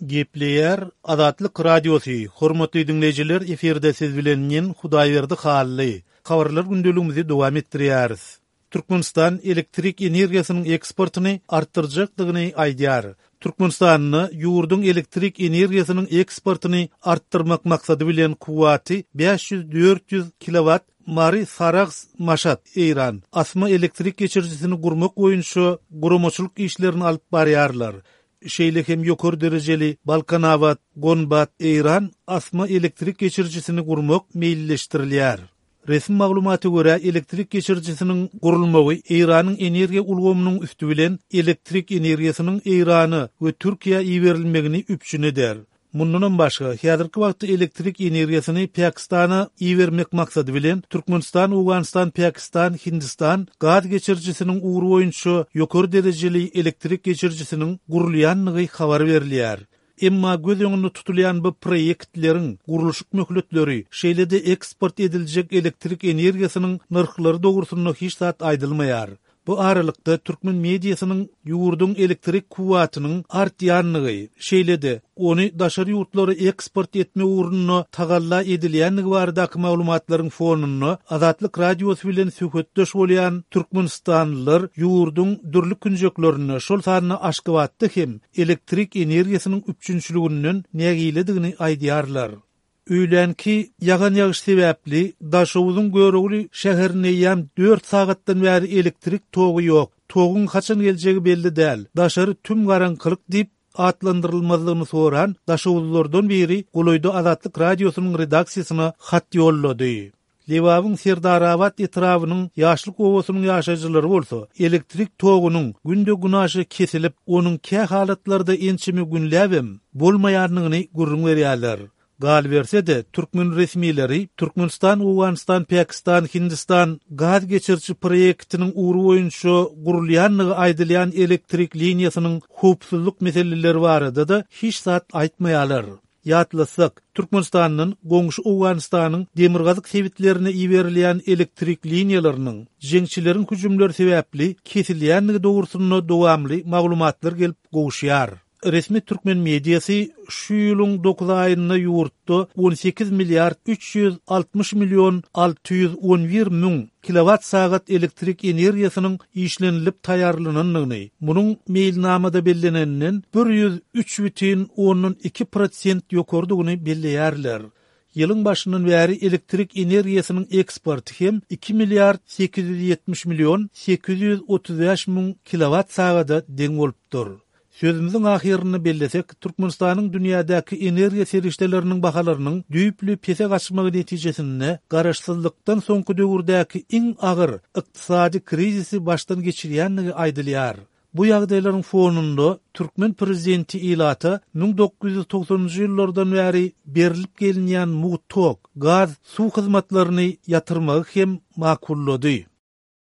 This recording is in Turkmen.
Gepleýär Azatlyk Radiosy, Hormatly diňleýjiler efirde siz bilen men Hudaýberdi Hally. Habarlar gündeligimizi dowam etdirýäris. Türkmenistan elektrik energiýasynyň eksportyny artdyrjakdygyny aýdýar. Türkmenistanda ýurduň elektrik energiýasynyň eksportyny artdyrmak maksady bilen kuwwaty 500-400 kilowat Mary-Sarahs-Maşat, Eýran, asma elektrik geçirijisini gurmak boýunça guramaçylyk işlerini alyp barýarlar. Şeýle hem ýokary derejeli Balkanabat, Gonbat, Eýran asma elektrik geçirijisini gurmak meýilleşdirilýär. Resmi maglumata görä, elektrik geçirijisiniň gurulmagy Eýranyň energiýa ulgamynyň üsti bilen elektrik energiýasynyň Eýrana we Türkiýä iberilmegini üpjün eder. Mundanam başga, häzirki wagtda elektrik energiýasyny Pakistana ibermek maksady bilen, Türkmenistan-Owganystan-Pakistan-Hindistan gaz geçirijisiniň ugry boýunça ýokary derejeli elektrik geçirijisiniň gurulýandygy habar berilýär. Emma göz öňünde tutulýan bu proýektleriň gurluşyk möhletleri, şeýle-de eksport ediljek elektrik energiýasynyň nyrhlary dogrusynda hiç zat aýdylmaýar. Bu aralykda, türkmen mediasynyň ýurduň elektrik kuwwatynyň artýandygy, şeýle-de, ony daşary ýurtlara eksport etmek ugrunda tagalla edilýändigi baradaky maglumatlaryň fonunda Azatlyk Radiosy bilen söhbetdeş bolýan türkmenistanlylar ýurduň dürli künjeklerinde, şol sanda Aşgabatda hem elektrik energiýasynyň üpjünçiliginden nägiledigini aýdýarlar. Öýlänki ýagan ýagyş sebäpli Daşoguzyň Görogly şäherinde eýýäm dört sagatdan bäri elektrik togy ýok. Toguň haçan geljegi belli däl. Daşary tüm garaňkylyk diýip, atlandyrylmazlygyny soran daşoguzlylardan biri golaýda Azatlyk Radiosynyň redaksiýasyna hat ýollady. Lebabyň Serdarabat etrabynyň Ýaşlyk obasynyň ýaşaýjylary bolsa, elektrik togunyň günde-günaşa kesilip, onuň kä halatlarda ençeme günläbem bolmaýandygyny gürrüň berýärler. Galyberse-de, türkmen resmileri Türkmenistan, Owganystan, Pakistan, Hindistan gaz geçiriji proýektiniň ugry boýunça gurulýandygy aýdylýan elektrik liniýasynyň howpsuzlyk meseleleri barada-da hiç zat aýtmaýarlar. Ýatlatsak, Türkmenistandan goňşy Owganystanyň demirgazyk sebitlerine iberilýän elektrik liniýalarynyň jeňçileriň hüjümleri sebäpli kesilýändigi dogrusynda dowamly maglumatlar gelip gowuşýar. Resmi türkmen mediasy şu ýylyň dokuz aýynda ýurtda 18 milliard 360 million 611 müň kilowat-sagat elektrik energiýasynyň işlenilip taýýarlanandygyny, munuň meýilnamada belleneninden 103 bütin ondan iki prosent ýokarydygyny belleýärler. Ýylyň başyndan bäri elektrik energiýasynyň eksporty hem iki milliard 870 million 835 müň kilowat-sagada deň bolupdyr. Sözümiziň ahyrynda bellesek, Türkmenistanyň dünýädäki energiýa serişdeleriniň bahalarynyň düýpli pese gaçmagy netijesinde garaşsyzlykdan soňky döwürdäki iň agyr ykdysady krizisi başdan geçirýändigi aýdylýar. Bu ýagdaýlaryň fonunda türkmen prezidenti ilata 1990-njy ýyllardan bäri berlip gelinýän mugt tok, gaz, suw hyzmatlaryny ýatyrmagy hem makullady.